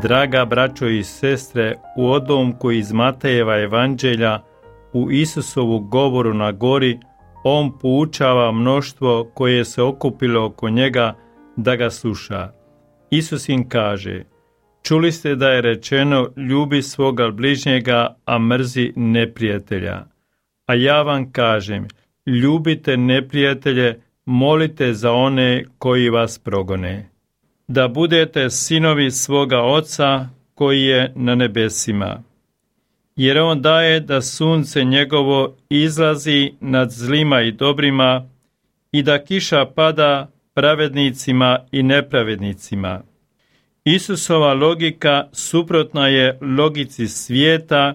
Draga braćo i sestre, u odlomku iz Matejeva evanđelja, u Isusovu govoru na gori, on poučava mnoštvo koje se okupilo oko njega da ga sluša. Isus im kaže: čuli ste da je rečeno, ljubi svoga bližnjega, a mrzi neprijatelja. A ja vam kažem, ljubite neprijatelje, molite za one koji vas progone, da budete sinovi svoga Oca koji je na nebesima. Jer on daje da sunce njegovo izlazi nad zlima i dobrima i da kiša pada pravednicima i nepravednicima. Isusova logika suprotna je logici svijeta,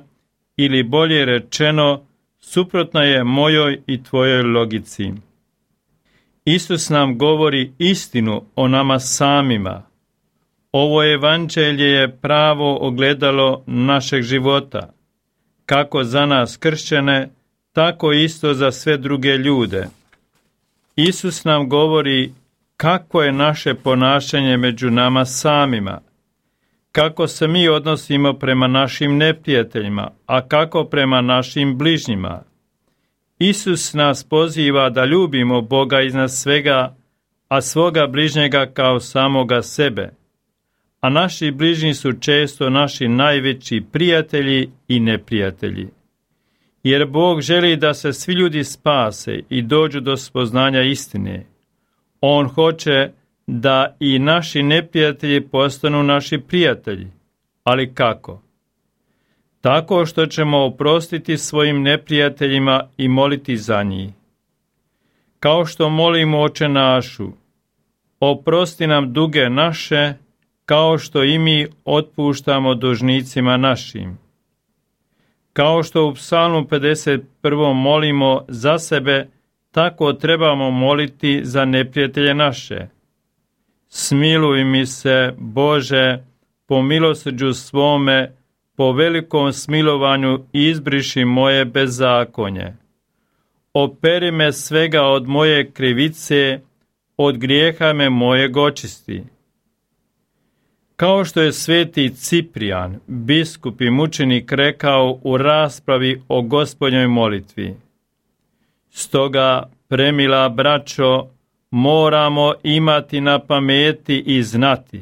ili bolje rečeno, suprotna je mojoj i tvojoj logici. Isus nam govori istinu o nama samima. Ovo evanđelje je pravo ogledalo našeg života, kako za nas kršćane, tako isto za sve druge ljude. Isus nam govori kako je naše ponašanje među nama samima, kako se mi odnosimo prema našim neprijateljima, a kako prema našim bližnjima. Isus nas poziva da ljubimo Boga iznad svega, a svoga bližnjega kao samoga sebe. A naši bližnji su često naši najveći prijatelji i neprijatelji. Jer Bog želi da se svi ljudi spase i dođu do spoznanja istine. On hoće da i naši neprijatelji postanu naši prijatelji. Ali kako? Tako što ćemo oprostiti svojim neprijateljima i moliti za njih. Kao što molimo Oče našu, oprosti nam duge naše, kao što i mi otpuštamo dužnicima našim. Kao što u Psalmu 51. molimo za sebe, tako trebamo moliti za neprijatelje naše. Smiluj mi se, Bože, po milosrđu svome, po velikom smilovanju izbriši moje bezakonje. Operi me svega od moje krivice, od grijeha me mojeg očisti. Kao što je sveti Ciprijan, biskup i mučenik, rekao u raspravi o Gospodnjoj molitvi: stoga, premila braćo, moramo imati na pameti i znati,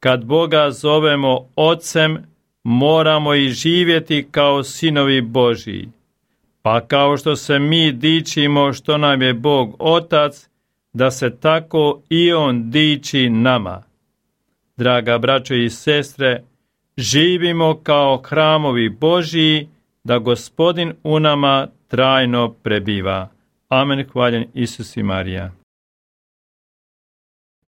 kad Boga zovemo Ocem, moramo i živjeti kao sinovi Božiji. Pa kao što se mi dičimo što nam je Bog Otac, da se tako i On diči nama. Draga braćo i sestre, živimo kao hramovi Božiji, da Gospodin u nama trajno prebiva. Amen. Hvaljen Isus i Marija.